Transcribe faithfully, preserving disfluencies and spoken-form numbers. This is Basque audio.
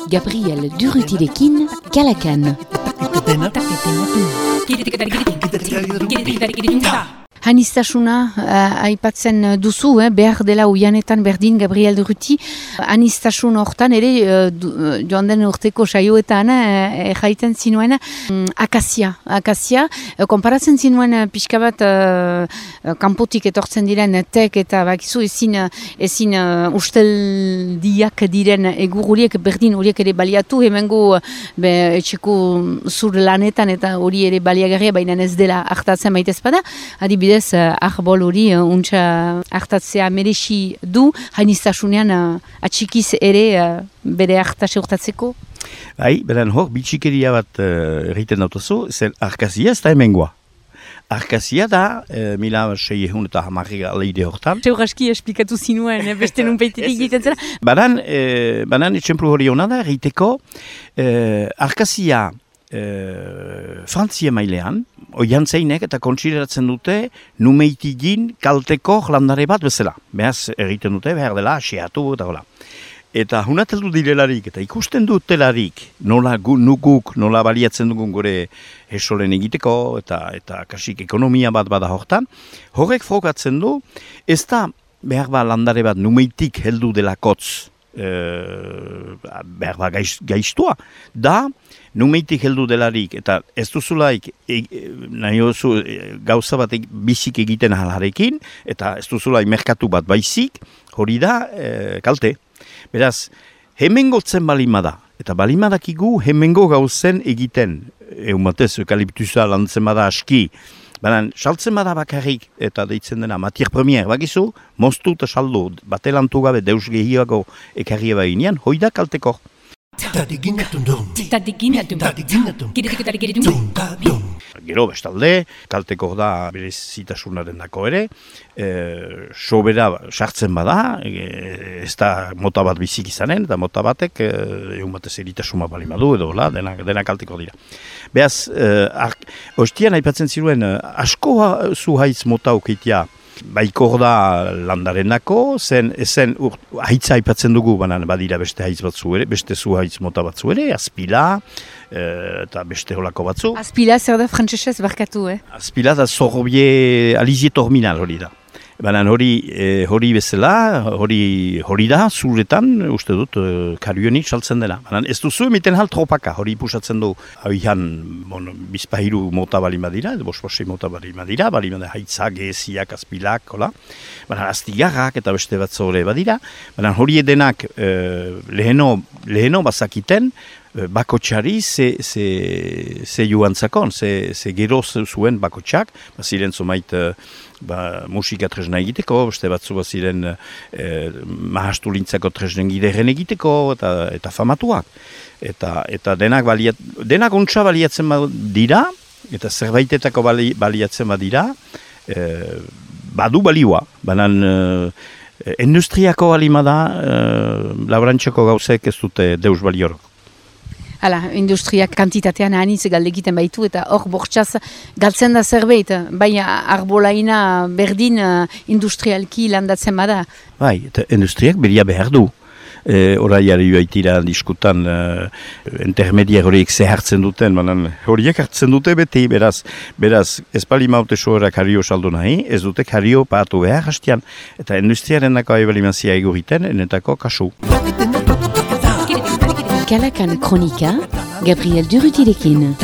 Gabriel Durrutirekin, Kalakan. Hanistasuna uh, aipatzen duzu, eh, behar dela uianetan berdin Gabriel Durruti. Hanistasun hortan ere, uh, du, uh, joan den urteko saioetan, uh, jaiten zinuen, um, akazia. Akazia, uh, konparatzen zinuen uh, pixka bat uh, kanpotik etortzen diren tek eta bakizu ezin, ezin uh, usteldiak diren egur horiek berdin horiek ere baliatu, hemengo uh, be, etxeko zur lanetan eta hori ere baliagarria, baina ez dela hartatzen baitez bada, adibidez arbol hori uh, untsa hartatzea merexi du, hainiztasunean uh, atxikiz ere uh, bere hartase urtatzeko? Bai, beren hor, bitxikeria bat uh, egiten dautuzu, zen arkazia ez da hemengoa. Arkazia da, e, mila sei ehun eta hamarri aleide hortan. Zeur aski esplikatu zinuen, eh? Beste nun peitetik egiten zera? Banan, e, banan etxemplu hori hona da, egiteko, e, arkazia e, Frantzia mailean, oian zeinek eta kontsideratzen dute numeitigin kalteko landare bat bezala. Behaz egiten dute, behar dela, xeatu eta hola. Eta hunateldu direlarik eta ikusten dutelarik nola gu, nukuk, nola baliatzen dugun gure esolen egiteko eta eta kasik ekonomia bat bada hortan, horrek frogatzen du, ez da behar ba landare bat numeitik heldu dela kotz, e, behar ba gaiz, gaiztua, da numeitik heldu delarik eta ez duzulaik e, nahi oso e, gauza bat e, bizik egiten halarekin eta ez duzulaik merkatu bat baizik, hori da e, kalte. Beraz, hemengotzen balimada, eta balimadakigu hemengo gauzen egiten, eumatez, eukaliptusa lantzen bada aski, baina saltzen bada bakarrik, eta deitzen dena, matier premier, bakizu, moztu eta saldu, batelantu gabe deus gehiago ekarri ebaginean, hoi da kalteko. Gero bestalde, kalteko da berezitasunaren dako ere, e, sobera sartzen bada, e, ez da mota bat bizik izanen, eta mota batek e, egun batez eritasuma bali madu edo, la, dena, dena kalteko dira. Beaz, e, ostian aipatzen ziruen, asko zuhaitz mota ukeitia, baikor da landarenako, zen, zen ur, haitza aipatzen dugu, banan badira beste haitz batzu ere, beste zu haitz mota batzu ere, azpila, e, eta beste holako batzu. Azpila zer da frantsesez barkatu, eh? Azpila da zorbie alizie terminal hori da. Banan hori, e, hori bezala, hori, hori da, zuretan, uste dut, e, karionik saltzen dena. Banan ez duzu emiten hal tropaka, hori pusatzen du, hauian, bon, bizpahiru mota bali madira, edo bosposei mota bali madira, bali madira haitzak, geziak, azpilak, hola. Banan aztigarrak eta beste bat zore badira. Banan hori edenak e, leheno, leheno bazakiten, bakotxari ze, ze, ze joan zakon, ze, ze gero zuen bakotxak, baziren zomait ba, musika tresna egiteko, beste batzu baziren e, mahastu lintzako tresnen gideren egiteko eta, eta famatuak. Eta, eta denak, baliat, denak ontsa baliatzen dira, eta zerbaitetako bali, baliatzen badira, e, badu balioa, banan e, industriako balimada, e, labrantxeko gauzek ez dute deus baliorok. Hala, industriak kantitatean anitz galdegiten baitu eta hor bortxaz galtzen da zerbait, bai arbolaina berdin industrialki landatzen bada. Bai, eta industriak beria behar du. E, Horaiari baitira diskutan e, intermediar horiek zehartzen duten, manan horiek hartzen dute beti, beraz, beraz ez bali maute sohorak hario saldu nahi, ez dute hario patu behar hastian, eta industriaren dako aibalimazia eguriten, enetako kasu. Kalakan Kronika, Gabriel Durrutirekin.